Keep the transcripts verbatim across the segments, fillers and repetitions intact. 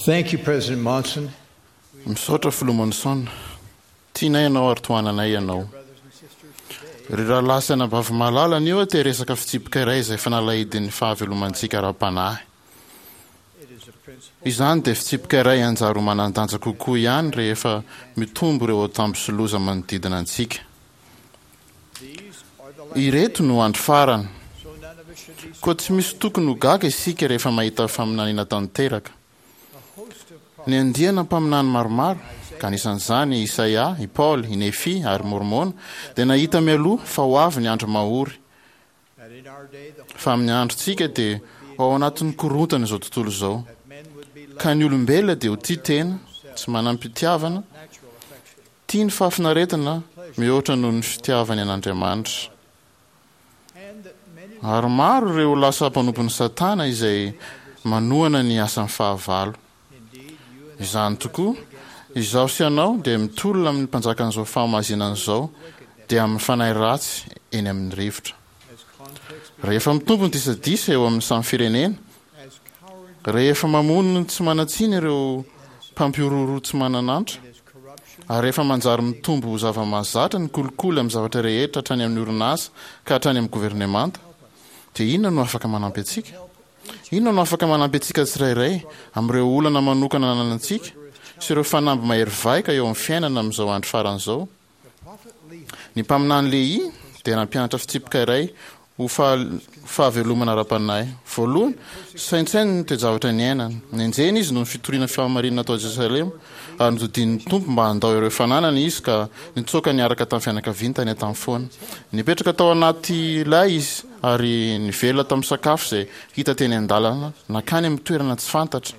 Thank you, President Monson. Misaotra Filoha Monson. Tianay ianao ary tohananay ianao. Ry rahalahy sy anabavy malala, anio aho te hiresaka fitsipika iray izay fanalahidin'ny fahavelomantsika ara-panahy. Izany dia fitsipika iray hanjary ho manan-danja kokoa ihany rehefa mitombo ireo antambo sy loza manodidina antsika. Ireto no andro farany. Koa tsy misy tokony ho gaga isika rehefa mahita faminaniana tanteraka. Ny andiana mpaminany maromaro, ka anisan'izany i Isaia, i Paoly, i Nefia ary Môrmôna, dia nahita mialoha fa ho avy ny andro mahory, fa amin'ny androntsika dia ho ao anatin'ny korontana izao tontolo izao, ka ny olombelona dia ho tia tena, tsy manam-pitiavana, tia ny fahafinaretana mihoatra noho ny fitiavany an'Andriamanitra. Ary maro ireo lasa mpanompon'i Satana izay manohana ny asan'ny fahavalo. Izany tokoa, izaho sy ianao dia mitolona amin'ny mpanjakan'izao fahamazinana izao, dia amin'ny fanahy ratsy eny amin'ny rivotra. Rehefa mitombo ny disadisa eo amin'ny samy firenena, rehefa mamono ny tsy manan-tsiny ireo mpampihorohoro tsy manan'antra, ary rehefa manjary mitombo ho zava-mahazatra ny kolikoly amin'ny zavatra rehetra hatrany amin'ny orinasa ka hatrany amin'ny governemanta, dia inona no afaka manampy antsika? Inona no afaka manampy antsika tsirairay amin'ireo olana manokana ananantsika sy ireo fanamby mahery vaika eo amin'ny fiainana amin'izao andro farany izao? Ny mpaminany Lehia dia nampianatra fitsipika iray ho fahavelomana ara-panahy. Voalohany, saintsaino ny toe-javatra niainany. Nenjehina izy noho ny fitoriana fahamarinana tao Jerosalema, ary nodidian'ny Tompo mba handao ireo fananany izy ka nitsoaka niaraka tamin'ny fianakaviany tany an-tany foana. Nipetraka tao anaty lay izy ary nivelona tamin'ny sakafo izay hita teny an-dalana nankany amin'ny toerana tsy fantatra.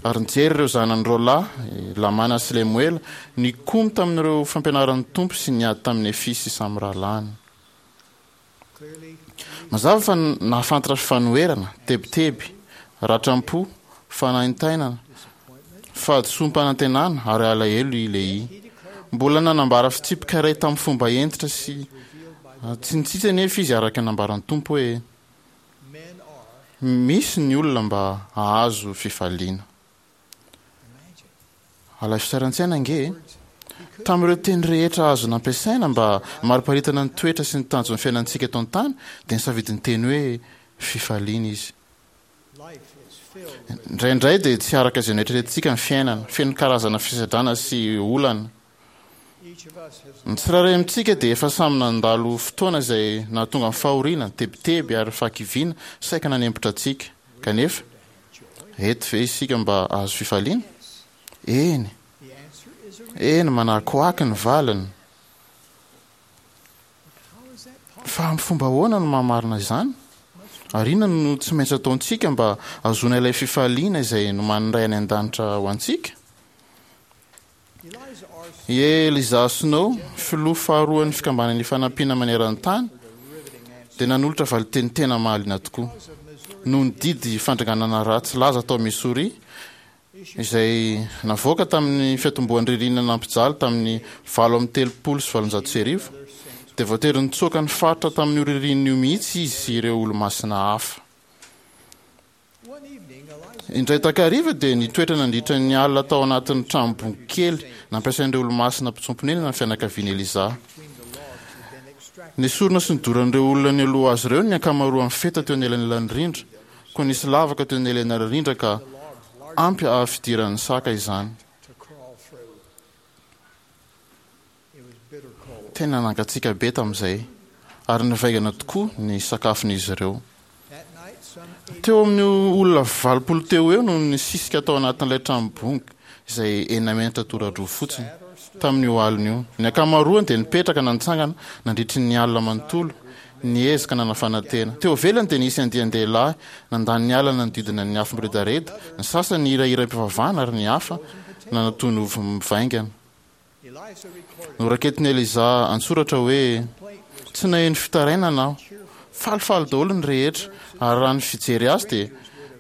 Ary nijery ireo zanany roa lahy, i Lamàna sy Lemoela, nikomy tamin'ireo fampianaran'ny Tompo sy niady tamin'i Nefia sy samy rahalahiny. Mazava fa nahafantatra fanoherana, tebiteby, ratram-po, fanaintainana, fahadisoam-panantenana ary alahelo i Lehia. Mbola nanambara fitsipika iray tamin'ny fomba hentitra sy tsy nitsitsy anefa izy araka ny nambaran'ny Tompo hoe, Misy ny olona mba hahazo fifaliana. Alaivo sary an-tsaina ange e! Tamin'ireo teny rehetra azo nampiasaina mba hamariparitana ny toetra sy ny tanjon'ny fiainantsika eto an-tany, dia nisafidy ny teny hoe fifaliana izy. Indraindray dia tsy araka izay noeritreretintsika ny fiainana, feno karazana fisedrana sy olana. Ny tsirairay amintsika dia efa samy nandalo fotoana izay nahatonga ny fahoriana, tebiteby ary fahakiviana saika nanempotra antsika. Kanefa, eto ve isika mba hahazo fifaliana? Eny! Eny, manakoako ny valiny. Fa amin'ny fomba ahoana no maha-marina izany? Ary inona no tsy maintsy ataontsika mba hahazoana ilay fifaliana izay nomanin'ny Ray any An-danitra ho antsika? I Eliza Snow, filoha faharoan'ny Fikambanana Ifanampiana Maneran-tany, dia nanolotra valinteny tena mahaliana tokoa. Noho ny didy fandringanana ratsy laza tao Missouri, izay navoaka tamin'ny fiatombohan'ny ririnina nampijaly tamin'ny valo amby telopolo sy valonjato sy arivo, dia voatery nitsoaka ny faritra tamin'io ririnina io mihitsy izy sy ireo Olomasina hafa. Indray takariva dia nitoetra nandritra ny alina tao anatin'ny tranom-bongo kely nampiasain'ireo olomasina mpitsoa-ponenana ny fianakavian'i Eliza. Nesorina sy nodoran'ireo olona nialoha azy ireo ny ankamaroan'ny feta teo anelanelan'ny rindra, koa nisy lavaka teo anelanelan'ny rindra ka ampy hahafidiran'ny saka izany. Tena nangatsiaka be tamin'izay, ary nivaingana tokoa ny sakafon'izy ireo. Teo amin'ny olona valopolo teo ho eo no nisisika tao anatin'ilay trano bongo, izay enina metatra tora-droa fotsiny, tamin'io alina io. Ny ankamaroany dia nipetraka na nitsangana nandritry ny alina manontolo, niezaka nanafana tena. Teo ivelany dia nisy andian-dehilahy nandany ny alina nanodidina ny afo miredareda, ny sasany nihirahira am-pivavahana ary ny hafa nanatono ovy mivaingana. Noraketin'i Eliza an-tsoratra hoe, Tsy naheno fitarainana aho. Falifaly daholo ny rehetra, ary raha ny fijery azy dia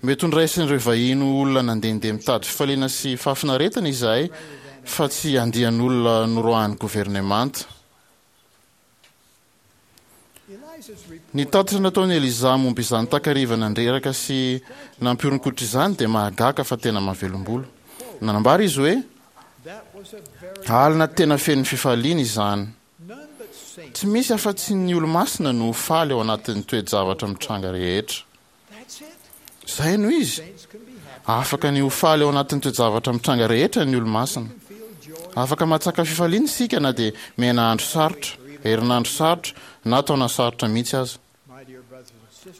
mety ho noraisin'ireo vahiny ho olona nandehandeha mitady fifaliana sy fahafinaretana izahay fa tsy andian'olona noroahin'ny governemanta. Ny tatitra nataon'i Eliza momba izany takariva nandreraka sy nampihoron-koditra izany dia mahagaga fa tena mahavelom-bolo. Nanambara izy hoe, Alina tena feno fifaliana izany. Tsy misy afa-tsy ny olo-masina no ho faly ao anatin'ny toe-javatra mitranga rehetra. Izay no izy. Afaka ny ho faly ao anatin'ny toe-javatra mitranga rehetra ny olo-masina. Afaka mahatsaka fifaliana isika na dia miaina andro sarotra, herinandro sarotra, na taona sarotra mihitsy aza.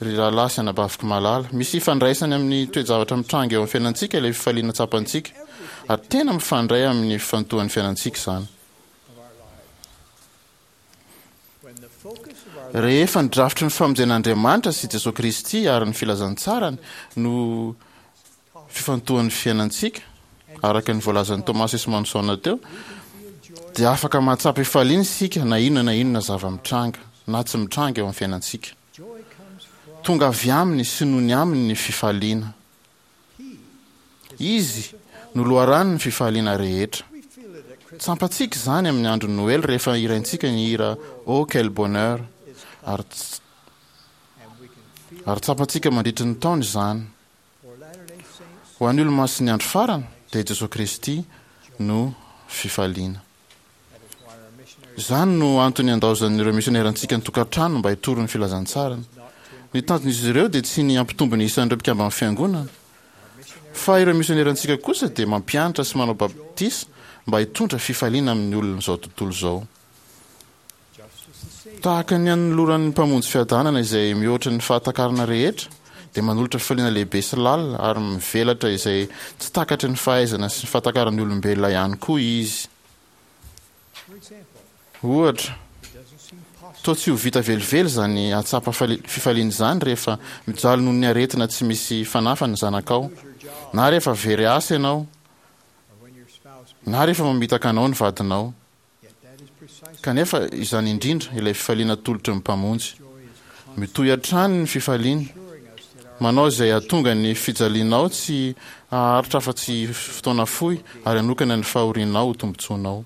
Ry rahalahy sy anabaviko malala, misy ifandraisany amin'ny toe-javatra mitranga eo amin'ny fiainantsika ilay fifaliana tsapantsika, ary tena mifandray amin'ny fifantohan'ny fiainantsika izany. Rehefa ny drafitry ny famonjen'Andriamanitra sy Jesoa Kristy ary ny filazantsarany no fifantohan'ny fiainantsika, araka ny voalazan'i Thomas Esmanson teo, dia afaka mahatsapa fifaliana isika na inona na inona zava-mitranga na tsy mitranga eo amin'ny fiainantsika. Tonga avy aminy sy noho ny aminy ny fifaliana. Izy no loharanon'ny fifaliana rehetra. Tsapantsika izany amin'ny andron'ny Noely rehefa hiraintsika ny hira Oh quel bonheur ary ary tsapantsika mandritry ny taona izany. Ho an'ny olo-masin'ny andro farany dia i Jesoa Kristy no fifaliana. Izany no antony andaozan'ireo misionerantsika ny tokantrano mba hitory ny filazantsarany. Ny tanjon'izy ireo dia tsy ny hampitombo ny isan'ireo mpikamban'ny fiangonana, fa ireo misionerantsika kosa dia mampianatra sy manao batisa mba hitondra fifaliana amin'ny olon'izao tontolo izao. Tahaka ny anoloran'ny Mpamonjy fiadanana izay mihoatra ny fahatakarana rehetra, dia manolotra fifaliana lehibe sy lalina ary mivelatra izay tsy takatry ny fahaizana sy ny fahatakaran'ny olombelona ihany koa Izy. Ohatra, toa tsy ho vita velively izany hahatsapa fifaliana izany rehefa mijaly noho ny aretina tsy misy fanafany ny zanakao, na rehefa very asa ianao, na rehefa mamitaka anao ny vadinao. Kanefa izany indrindra ilay fifaliana atolotry ny Mpamonjy. Mitohy hatrany ny fifaliany, manao izay hahatonga ny fijalianao tsy haharitra afa-tsy fotoana fohy ary hanokana ny fahorianao ho tombontsoanao.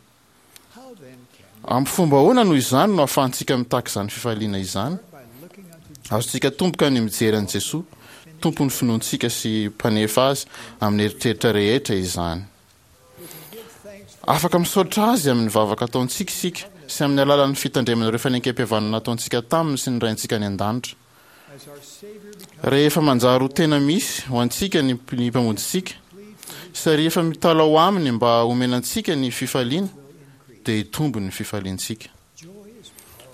Amin'ny fomba ahoana noho izany no ahafahantsika mitaky izany fifaliana izany? Azontsika atomboka ny mijery an'i Jesoa, Tompon'ny finoantsika sy Mpanefa azy, amin'ny eritreritra rehetra izany. Afaka misaotra Azy amin'ny vavaka ataontsika isika sy amin'ny alalan'ny fitandremana ireo fanekempihavanana nataontsika taminy sy ny Raintsika any An-danitra. Rehefa manjary ho tena misy ho antsika ny ny Mpamonjintsika, sy rehefa mitalaho Aminy mba homena antsika ny fifaliana, dia hitombo ny fifaliantsika.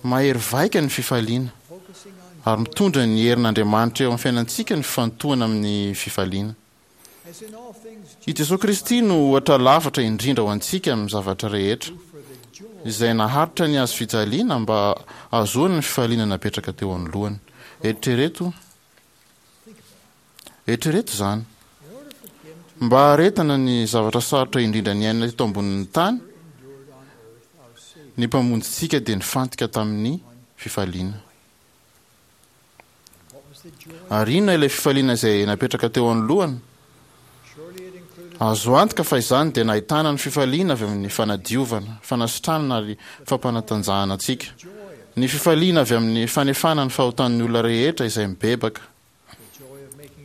Mahery vaika ny fifaliana, ary mitondra ny herin'Andriamanitra eo amin'ny fiainantsika ny fifantohana amin'ny fifaliana. I Jesoa Kristy no ohatra lafatra indrindra ho antsika amin'ny zavatra rehetra, izay naharitra ny hazo fijaliana mba hahazoany ny fifaliana napetraka teo anoloany. Eritrereto, eritrereto izany. Mba haharetana ny zavatra sarotra indrindra niainana teto ambonin'ny tany, ny Mpamonjintsika dia nifantoka tamin'ny fifaliana. Ary inona ilay fifaliana izay napetraka teo anoloany? Azo antoka fa izany dia nahitana ny fifaliana avy amin'ny fanadiovana, fanasitranana ary fampanatanjahana antsika. Ny fifaliana avy amin'ny fanefana ny fahotan'ny olona rehetra izay mibebaka.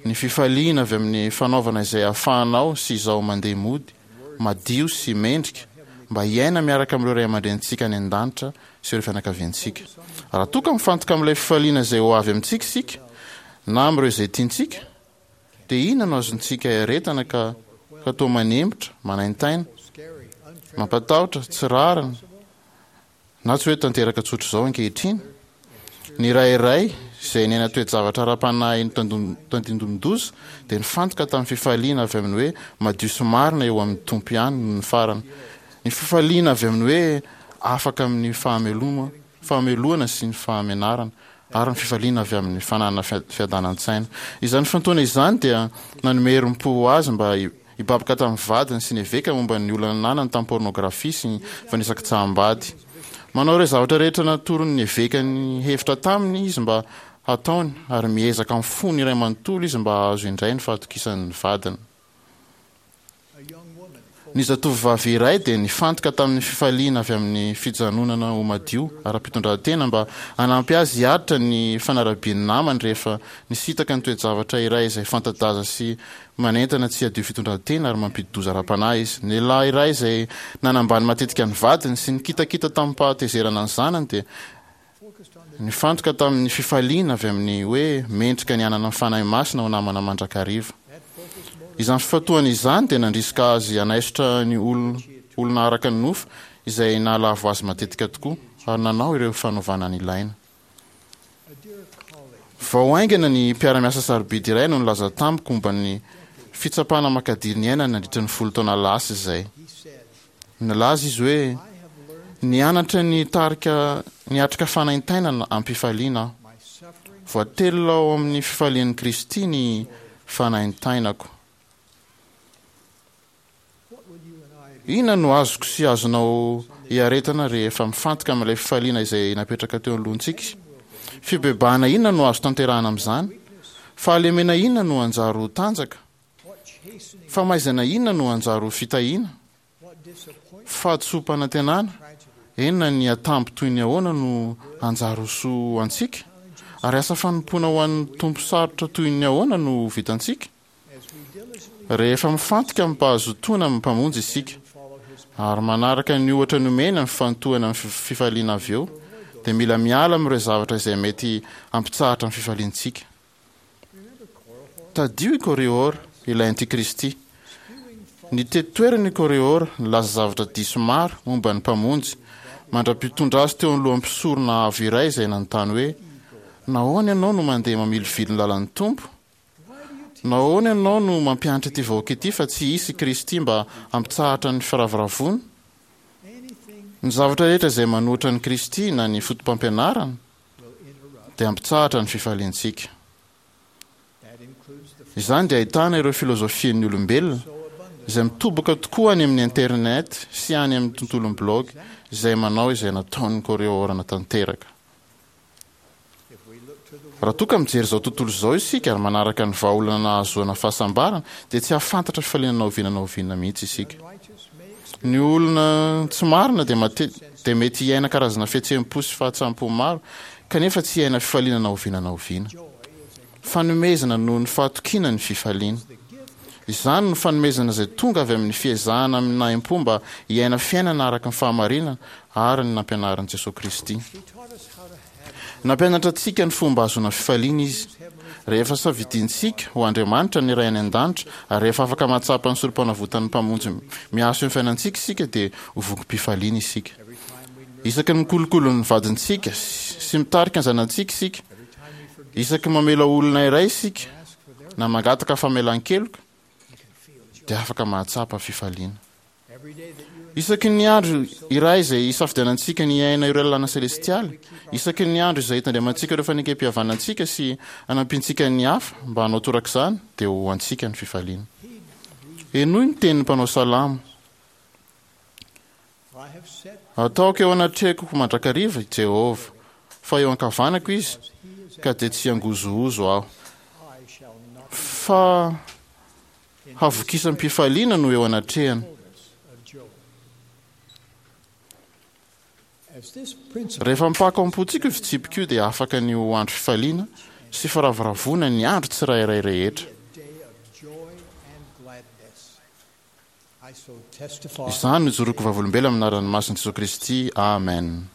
Ny fifaliana avy amin'ny fanaovana izay ahafahanao sy izaho mandeha mody, madio sy mendrika, mba hiaina miaraka amin'ireo ray aman-drenintsika any an-danitra sy ireo fianakaviantsika. Raha toa ka mifantoka amin'ilay fifaliana izay ho avy amintsika isika, na amin'ireo izay tiantsika, dia inona no azontsika iaretana ka ka toa manempotra, manaintaina, mampatahotra, tsy rariny, na tsy hoe tanteraka tsotr'izao ankehitriny? Ny ray iray izay niaina toe-javatra ara-panahy notandindomin-doza dia nifantoka tamin'ny fifaliana avy amin'ny hoe madio sy marina eo amin'ny Tompo ihany nony farany. Ny fifaliana avy amin'ny hoe afaka amin'ny fahameloma, fahamelohana sy ny fahamenarana, ary ny fifaliana avy amin'ny fananana fiadanan-tsaina. Izany fifantohana izany dia nanome herim-po ho azy mba hibaboka tamin'ny vadiny sy ny eveka momba ny olana nanany tamin'ny pôrnôgrafia sy ny fanisakitsaham-bady. Manao ireo zavatra rehetra natoron'ny eveka ny hevitra taminy izy mba hataony, ary miezaka amin'ny fony iray manontolo izy mba hahazo indray ny fahatokisan'ny vadiny. Ny zatovovavy iray dia nifantoka tamin'ny fifaliana avy amin'ny fijanonana ho madio ara-pitondrantena mba hanampy azy hiaritra ny fanarabian'ny namany rehefa nisintaka ny toe-javatra iray izay fanta-daza sy manentana tsy hadio fitondrantena ary mampidi-doza ara-panahy izy. Ny lehilahy iray izay nanambany matetika ny vadiny sy nikitakita tamim-pahatezerana ny zanany dia nifantoka tamin'ny fifaliana avy amin'ny hoe mendrika ny hanana ny Fanahy Masina ho namana mandrakariva. Izany fifantohana izany dia nandrisika azy hanaisotra ny olona araka ny nofo izay nahalavo azy matetika tokoa, ary nanao ireo fanovana nilaina. Vao haingana ny mpiara-miasa sarobidy iray no nilaza tamiko momba ny fitsapana makadiry niainany nandritra ny folo taona lasa izay. Nilaza izy hoe, Nianatra ny hitarika niatrika fanaintainana am-pifaliana aho. Voatelina ao amin'ny fifalian'i Kristy ny fanaintainako. Inona no azoko sy azonao iaretana rehefa mifantoka amin'ilay fifaliana izay napetraka teo anoloantsika? Fibebahana inona no azo tanterahana amin'izany? Fahalemena inona no hanjary ho tanjaka? Famaizana inona no hanjary ho fitahiana? Fahadisoam-panantenana inona ny atambo toy ny ahoana no hanjary ho soa ho antsika? Ary asa fanompoana ho an'ny Tompo sarotra toy ny ahoana no ho vitantsika? Rehefa mifantoka amim-pahazotoana amin'ny Mpamonjy isika, ary manaraka ny ohatra nomeny amin'ny fifantohana amin'ny fifaliana avy eo, dia mila miala amin'ireo zavatra izay mety hampitsahatra ny fifaliantsika. Tadidio i Korihor, ilay antikristy. Nitety toerana i Korihor, nilaza zavatra diso maro momba ny Mpamonjy, mandra-pitondra azy teo anoloan'ny mpisorona avo iray izay nanontany hoe, Nahoana ianao no mandeha mamilivily ny lalan'ny Tompo? Nahoana ianao no mampianatra ity vahoaka ity fa tsy hisy i Kristy mba hampitsahatra ny firavoravoana? Ny zavatra rehetra izay manohitra an'i Kristy na ny fotopampianarany dia hampitsahatra ny fifaliantsika. Izany dia ahitana ireo filozofian'ny olombelona, izay mitoboka tokoa any amin'ny internet sy any amin'ny tontolon'ny blaogy, izay manao izay nataon'ny Koreaorana tanteraka. Raha toa ka mijery izao tontolo izao isika ary manaraka ny vahaolana nahazoana fahasambarana, dia tsy hahafantatra fifaliana na oviana na oviana mihitsy isika. Ny olona tsy marina dia mate dia mety hiaina karazana fihetseham-po sy fahatsampom maro, kanefa tsy hiaina fifaliana na oviana na oviana. Fanomezana noho ny fahatokiana ny fifaliana. Izany no fanomezana izay tonga avy amin'ny fiezahana amin'ny nahim-po mba hiaina fiainana araka ny fahamarinana ary ny nampianarin'i Jesoa Kristy. Nampianatra antsika ny fomba hahazoana fifaliana Izy. Rehefa safidiantsika ho Andriamanitra ny Ray any An-danitra ary rehefa afaka mahatsapa ny Sorompanavotan'ny Mpamonjy miasa eo amin'ny fiainantsika isika dia ho vokim-pifaliana isika. Isaky ny mikolokolo ny vadintsika sy mitarika ny zanatsika isika, isaky ny mamela olona iray isika na mangataka famelan-keloka dia afaka mahatsapa fifaliana. Isaky ny andro iray izay isafidianantsika ny hiaina ireo lalàna selestialy, isaky ny andro izay itandremantsika ireo fanekempihavanantsika sy anampiantsika ny hafa mba hanao torak'izany, dia ho antsika ny fifaliana. Henoy ny tenin'ny mpanao salamo, Ataoko eo anatrehako mandrakariva i Jehovah, fa eo ankavanako Izy, ka dia tsy hangozohozo aho. Fa Havokisam-pifaliana no eo anatrehany. Rehefa mipaka ao am-pontsika io fitsipika io dia afaka ny ho andro fifaliana sy firavoravoana ny andro tsirairay rehetra. Izany no ijoroako vavolombelona amin'ny anaran'ny masin'i Jesoa Kristy, amen.